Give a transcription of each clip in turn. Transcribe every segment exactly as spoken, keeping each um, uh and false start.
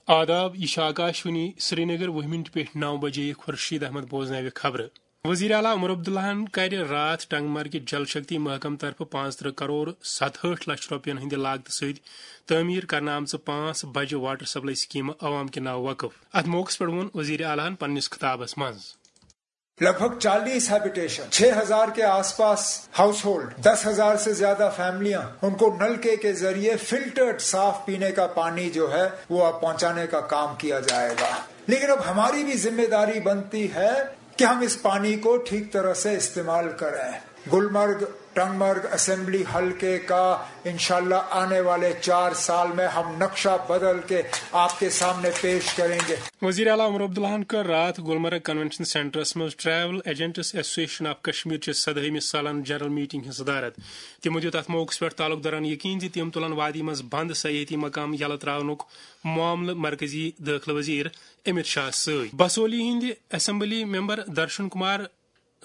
آداب، یہ چھِ آکاشوانی سرینگر۔ وُہ منٹ پیٹھ نو بجے خورشید احمد بوزناوِ خبرٕ۔ وزیر اعلیٰ عمر عبداللہن کرِ راتھ ٹنگ مرگہِ جل شکتی محکمہٕ طرفہٕ پانٛژھ ترٕہ کرور ستہٲٹھ لچھ رۄپین ہٕنٛدِ لاگتہٕ سۭتۍ تعمیٖر کرنہٕ آمژٕ پانٛژھ بجہِ واٹر سپلائی سکیمہٕ عوام کہِ ناوٕ وقف۔ اتھ موقعس پٮ۪ٹھ ووٚن وزیر اعلیٰ ہن پننِس خطابس منٛز۔ लगभग चालीस हैबिटेशन, छह हज़ार के आसपास हाउसहोल्ड, दस हज़ार से ज्यादा फैमिलियां, उनको नलके के जरिए फिल्टर्ड साफ पीने का पानी जो है वो अब पहुंचाने का काम किया जाएगा। लेकिन अब हमारी भी जिम्मेदारी बनती है कि हम इस पानी को ठीक तरह से इस्तेमाल करें। गुलमर्ग टंगमर्ग असेंबली हलके का इंशाल्लाह आने वाले चार साल में हम नक्शा बदल के आपके सामने पेश करेंगे। وزیر اعلیٰ عمر عبداللہن کٔر راتھ گلمرگ کنونشن سینٹرس منٛز travel agents association of Kashmir چہِ سدہٲمہِ سالانہٕ جنرل میٹنگ ہٕنٛز صدارت۔ تِمو دِیُت اتھ موقعس پٮ۪ٹھ تعلق دارن یقین زِ تِم تُلن وادی منٛز بند سیاحتی مقام یلہٕ تراونُک معاملہٕ مرکزی دٲخلہٕ وزیر امت شاہ سۭتۍ۔ بسولی ہٕنٛدِ اسمبلی ممبر درشن کمار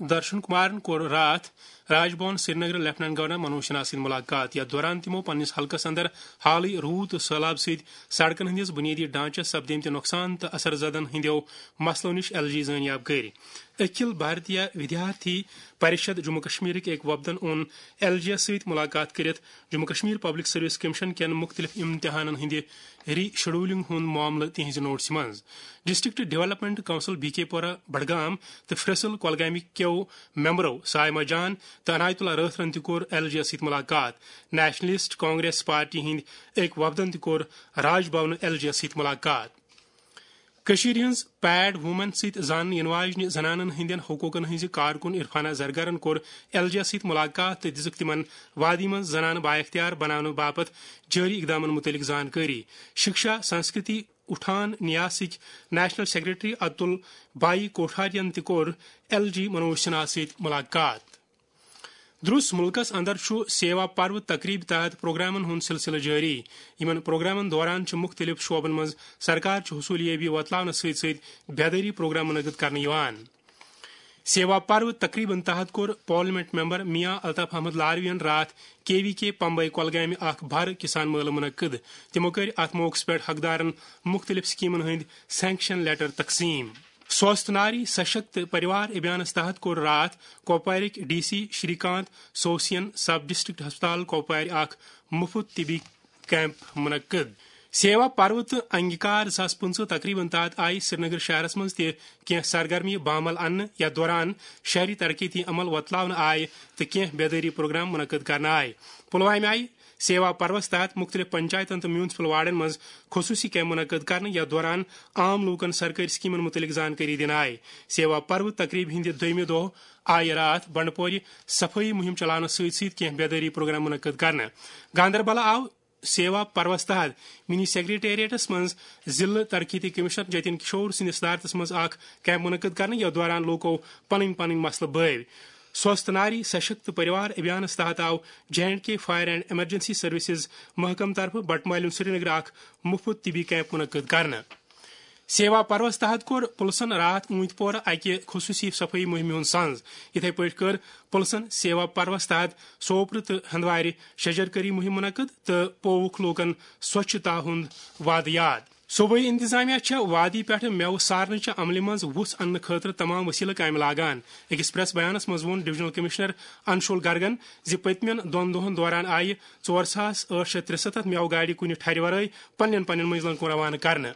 درشن کمارن کوٚر راتھ راج بھون سرینگر لیفٹیننٹ گورنر منوج سنہا سۭتۍ ملاقات، یتھ دوران تِمو پننِس حلقس اندر حالٕے روٗد تہٕ سٔہلاب سۭتۍ سڑکن ہٕنٛدِس بُنیٲدی ڈھانچس سپدیمتہِ نۄقصان تہٕ اثر زدن ہٕنٛدیو مسلو نِش ایل جی زٲنیاب کٔرۍ۔ اکھل بھارتیہ ودیارتھی پریشد جموں کشمیرٕکۍ أکۍ وفدن اوٚن ایل جی یس سۭتۍ ملاقات کٔرِتھ Jammu Kashmir public service commission کٮ۪ن مُختٔلِف امتحانن ہٕنٛدِ ری شیڈولنگ ہُنٛد معاملہٕ تِہنٛزِ نوٹسہِ منٛز۔ ڈسٹرکٹ ڈیولپمنٹ کونسل بی کے پورہ بڈگام تہٕ فریسل کۄلگامہِ کیو ممبرو سائمہ جان تہٕ عنایت اللہ رٲتھرن تہِ کوٚر ایل جی یس سۭتۍ ملاقات۔ نیشنلسٹ کانگریس پارٹی ہٕنٛدۍ أکۍ وفدن تہِ کوٚر راج بھونہٕ ایل جی یس سۭتۍ ملاقات۔ کٔشیٖرِ ہٕنٛز پیڈ وومن سۭتۍ زاننہٕ یِنہٕ واجنہِ زنانن ہٕنٛدٮ۪ن حقوٗقن ہٕنٛزِ کارکُن عرفانہ زرگرن کوٚر ایل جی یس سۭتۍ ملاقات تہٕ دِژٕکھ تِمن وادی منٛز زنانہٕ بااختیار بناونہٕ باپتھ جٲری اقدامن مُتعلق زانکٲری۔ شکشا سنسکرتی اٹھان نیاسٕکۍ نیشنل سیکرٹری اتُل بائی کوٹھارین تہِ کوٚر ایل جی منوج سنہا سۭتۍ ملاقات۔ درس ملکس اندر چھُ سیوا پرو تقریب تحت پروگرامن ہُنٛد سلسلہٕ جٲری۔ یِمن پروگرامن دوران چھِ مُختٔلِف شعبن منٛز سرکار چہِ حصوٗلیٲبی وۄتلاونس سۭتۍ سۭتۍ بیدٲری پروگرام منعقد کرنہٕ یِوان۔ سیوا پرو تقریبن تحت کوٚر پارلیمنٹ ممبر میاں الطاف احمد لاروین راتھ کے وی کے پمبئی کۄلگامہِ اکھ بھر کسان مٲلہٕ منعقد۔ تِمو کٔرۍ اتھ موقعس پٮ۪ٹھ حقدارن مُختٔلِف سکیمن ہٕنٛدۍ سینکشن لیٹر تقسیٖم۔ سوست ناری سشکت پریوار ابھیانس تحت کوٚر راتھ کۄپوارٕکۍ ڈی سی شری کانت سوسین سب ڈسٹرکٹ ہسپتال کۄپوارِ اکھ مُفت طبی کیمپ منعقد۔ سیوا پرو تہٕ انگیکار زٕ ساس پٕنٛژٕہ تقریبن تحت آیہِ سرینگر شہرس منٛز تہِ کینٛہہ سرگرمی بامل اننہٕ، یتھ دوران شہری ترقیتی عمل وۄتلاونہٕ آیہِ تہٕ کینٛہہ بیدٲری پروگرام منعقد کرنہٕ آیہِ۔ پلوامہِ آیہِ سیوا پروس تحت مُختٔلِف پنچایتن تہٕ میونسپل وارڈن منٛز خصوٗصی کیمپ منعقد کرنہٕ، یتھ دوران عام لوٗکن سرکٲرۍ سکیمن مُتعلق زانکٲری دِنہٕ آیہِ۔ سیوا پرو تقریبہِ ہٕنٛدِ دوٚیمہِ دۄہ آیہِ راتھ بنڈپورِ صفٲیی مُہِم چلاونس سۭتۍ سۭتۍ کینٛہہ بیدٲری پروگرام منعقد کرنہٕ۔ گاندربل آو سیوا پروس تحت منی سیکرٹریٹس منٛز ضلع ترقیتی کمشنر جتن کشور سٕنٛدِس صدارتس منٛز اکھ کیمپ منعقد کرنہٕ، یتھ دوران لوٗکو پنٕنۍ پنٕنۍ مسلہٕ بٲوۍ۔ سوست ناری سشکت پریوار ابھیانس تحت آو J and K fire and emergency services محکمہٕ طرفہٕ بٹہٕ مالیُن سرینگر اکھ مُفت طبی کیمپ منعقد کرنہٕ۔ سیوا پروس تحت کوٚر پُلسن راتھ اوٗنتۍ پورہ اکہِ خصوٗصی صفٲیی مُہِمہِ ہُنٛد سنز۔ یِتھے پٲٹھۍ کٔر پُلسن سیوا پروس تحت سوپرٕ تہٕ ہندوارِ شجرکاری مُہِم منعقد تہٕ پووُکھ لوٗکن سوچھتا ہُنٛد وعدٕ یاد۔ صوبٲئی انتظامیہ چھےٚ وادی پٮ۪ٹھٕ مٮ۪وٕ سارنہٕ چہِ عملہِ منٛز وُژھ اننہٕ خٲطرٕ تمام وسیلہٕ کامہِ لاگان۔ أکِس پریس بیانس منٛز ووٚن ڈویژنل کمشنر انشول گرگن زِ پٔتمٮ۪ن دۄن دۄہن دوران آیہِ ژور ساس ٲٹھ شیٚتھ ترٛسَتتھ مٮ۪وٕ گاڑِ کُنہِ ٹھرِ ورٲے پننٮ۪ن پننٮ۪ن منزلن کُن روانہٕ کرنہٕ۔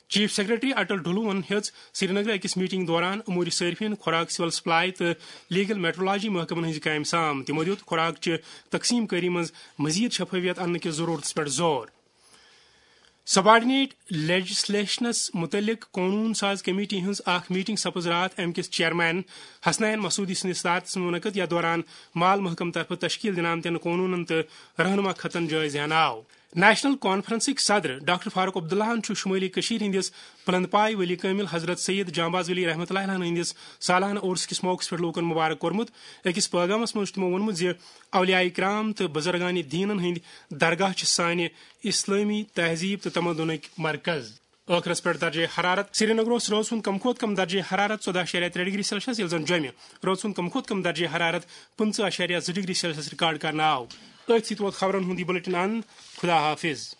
چیف سیکرٹری اٹل ڈھلوون ہیٚژ سرینگرٕ أکِس میٹنگ دوران امور صارفین، خوراک، سول سپلائی تہٕ لیگل میٹرولوجی محکمن ہٕنٛزِ کامہِ سام۔ تِمو دِیُت خوراک چہِ تقسیٖم کٲری منٛز مزید شفافیت اننہٕ کِس ضرورتس پٮ۪ٹھ زور۔ سبارڈینیٹ لیجسلیشنس متعلق قونوٗن ساز کمیٹی ہٕنٛز اکھ میٹنگ سپٕز راتھ امہِ کِس چیئرمین حسنین مسعودی سٕنٛدِس صدارتس منٛز منعقد، یتھ دوران مال محکمہٕ طرفہٕ تشکیل دِنہٕ آمتٮ۪ن قونوٗنن تہٕ رہنما خطن جٲیزٕ ہینہٕ آو۔ نیشنل کانفرنسٕکۍ صدر ڈاکٹر فاروق عبداللہن چھُ شمٲلی کٔشیٖر ہٕنٛدِس بلند پایہِ ولی کٲمِل حضرت سید جانباز ولی رحمتہ اللہ علیہ ہٕنٛدِس سالانہٕ عرس کِس موقعس پٮ۪ٹھ لوٗکن مبارک کوٚرمُت۔ أکِس پٲغامس منٛز چھُ تِمو ووٚنمُت زِ اولیاء کرام تہٕ بزرگان دینن ہٕنٛدۍ درگاہ چھِ سانہِ اسلٲمی تہذیب تہٕ تمدنٕکۍ مرکز۔ ٲخرس پٮ۪ٹھ درجہ حرارت۔ سرینگر اوس رٲژ ہُنٛد کم کھۄتہٕ کم درجہ حرارت ژۄداہ اَشاریہ ترٛےٚ ڈگری سیلسیس، ییٚلہِ زن جوٚمہِ رٲژ ہُنٛد کم کھۄتہٕ کم درجہ حرارت پٕنٛژٕہ اَشاریہ زٕ ڈگری سیلسیس ریکارڈ کرنہٕ آو۔ أتھۍ سۭتۍ ووت خبرن ہُنٛد یہِ بلیٹن اند۔ خدا حافظ۔